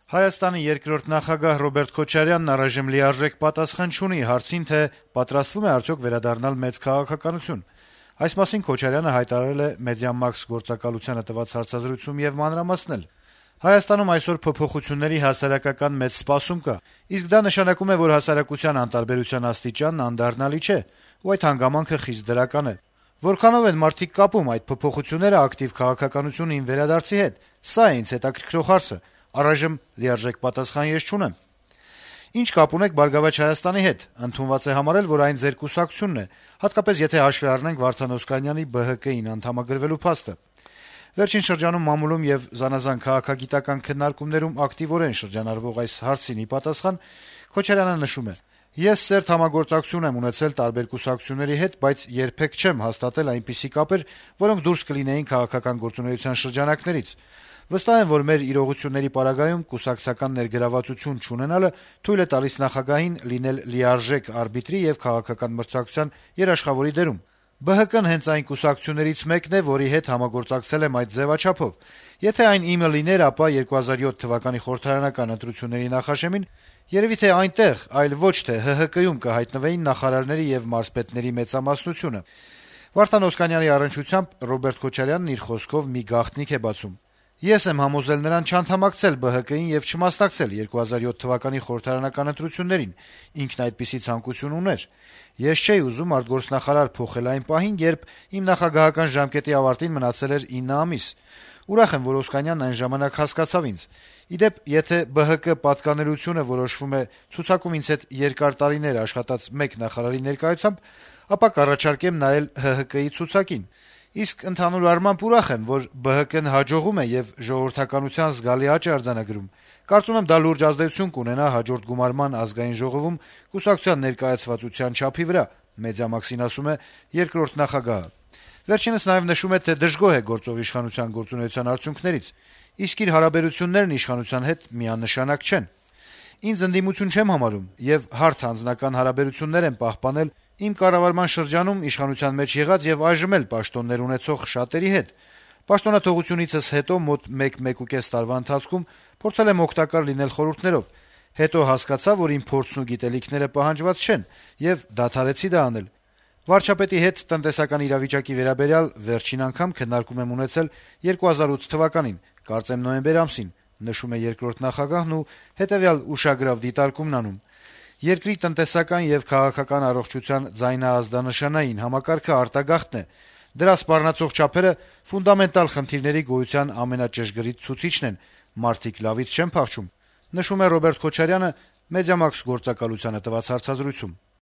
Հայաստանի երկրորդ նախագահ Ռոբերտ Քոչարյանն առայժմ լիարժեք պատասխան չունի հարցին, թե պատրաստվում է արդյոք վերադառնալ մեծ քաղաքականություն։ Այս մասին Քոչարյանը հայտարարել է Մեդիամաքս գործակալությանը տված հարցազրույցում եւ մանրամասնել. Հայաստանում այսօր փոփոխությունների հասարակական մեծ սպասում կա, իսկ դա նշանակում է, որ հասարակության անտարբերության աստիճանն անդառնալի չէ, ու այդ հանգամանքը խիստ դրական է։ Որքանով են մարդիկ կապում այդ փոփոխությունները ակտիվ քաղաքականությունին վերադարձի հետ, սա է ինձ հետաքրքրող հարցը, առայժմ լիարժեք պատասխան ես չունեմ։ Ինչ կապ ունեք «Բարգավաճ Հայաստանի» հետ, ընդունված է համարել, որ այն ձեր կուսակցությունն է, հատկապես եթե հաշվի առնենք Վարդան Օսկանյանի ԲՀԿ-ին անդամագրվելու փաստը։ Վերջին շրջանում մամուլում եւ զանազան քաղաքագիտական քննարկումներում ակտիվորեն շրջանառվող այս հարցին ի պատասխան Քոչարյանը նշում է. «Ես սերտ համագործակցություն եմ ունեցել տարբեր կուսակցությունների հետ, բայց երբեք չեմ հաստատել այնպիսի կապեր, որոնք դուրս կլինեին քաղաքական գործունեության շրջանակներից։ Վստահ եմ, որ մեր իրողությունների պարագայում կուսակցական ներգրավվածություն չունենալը թույլ է տալիս նախագահին լինել լիարժեք արբիտրի եւ քաղաքական մրցակցության երաշխավորի դերում։ ԲՀԿ-ն հենց այն կուսակցություններից մեկն է, որի հետ համագործակցել եմ այդ ձեւաչափով։ Եթե այն իմը լիներ, ապա 2007 թվականի խորհրդարանական ընտրությունների նախաշեմին երևի թե այնտեղ, այլ ոչ թե ՀՀԿ-ում կհայտնվեին նախարարների եւ մարզպետների մեծամասնությունը»։ Վարդան Օսկանյանի առնչությամբ Ռոբերտ Քոչարյանն իր խոսքով մի գաղտնիք է բացում. «Ես եմ համոզել նրան չանդամակցել ԲՀԿ-ին եւ չմասնակցել 2007 թվականի խորհրդարանական ընտրություններին. ինքն այդպիսի ցանկություն ուներ։ Ես չէի ուզում արտգործնախարար փոխել այն պահին, երբ իմ նախագահական ժամկետի ավարտին մնացել էր 9 ամիս։ Ուրախ եմ, որ Օսկանյանն այն ժամանակ հասկացավ ինձ։ Ի դեպ, եթե ԲՀԿ պատկանելությունը որոշվում է ցուցակում ինձ հետ երկար տարիներ աշխատած մեկ նախարարի ներկայությամբ, ապա կառաջարկեմ նայել ՀՀԿ-ի ցուցակին։ Իսկ ընդհանուր առմամբ ուրախ եմ, որ ԲՀԿ-ն հաջողում է եւ ժողովրդականության զգալի աճ է արձանագրում։ Կարծում եմ, դա լուրջ ազդեցություն կունենա հաջորդ գումարման ազգային ժողովում կուսակցության ներկայացվածության չափի վրա», Մեդիամաքսին ասում է երկրորդ նախագահը։ Վերջինս նաեւ նշում է, թե դժգոհ է գործող իշխանության գործունեության արդյունքներից, իսկ իր հարաբերություններն իշխանության հետ միանշանակ չեն։ «Ինձ ընդդիմություն չեմ համարում եւ հարթ անձնական հարաբերություններ եմ պահպանել իմ կառավարման շրջանում իշխանության մեջ եղած եւ այժմ էլ պաշտոններ ունեցող շատերի հետ։ Պաշտոնաթողությունիցս հետո մոտ 1-1.5 տարվա ընթացքում փորձել եմ օգտակար լինել խորհուրդներով։ Հետո հասկացա, որ իմ փորձն ու գիտելիքները պահանջված չեն եւ դադարեցի դա անել։ Վարչապետի հետ տնտեսական իրավիճակի վերաբերյալ վերջին անգամ քննարկում եմ ունեցել 2008 թվականին, կարծեմ նոյեմբեր ամսին», նշում է երկրորդ նախագահն ու հետեւյալ ուշագրավ դիտարկումն անում. «Երկրի տնտեսական եւ քաղաքական առողջության ձայնաազդանշանային համակարգը արտագաղթն է։ Դրա սպառնացող չափերը ֆունդամենտալ խնդիրների գոյության ամենաճշգրիտ ցուցիչն են, մարդիկ լավից չեն փախչում», նշում է Ռոբերտ Քոչարյանը Մեդիամաքս գործակալությանը տված հարցազրույցում։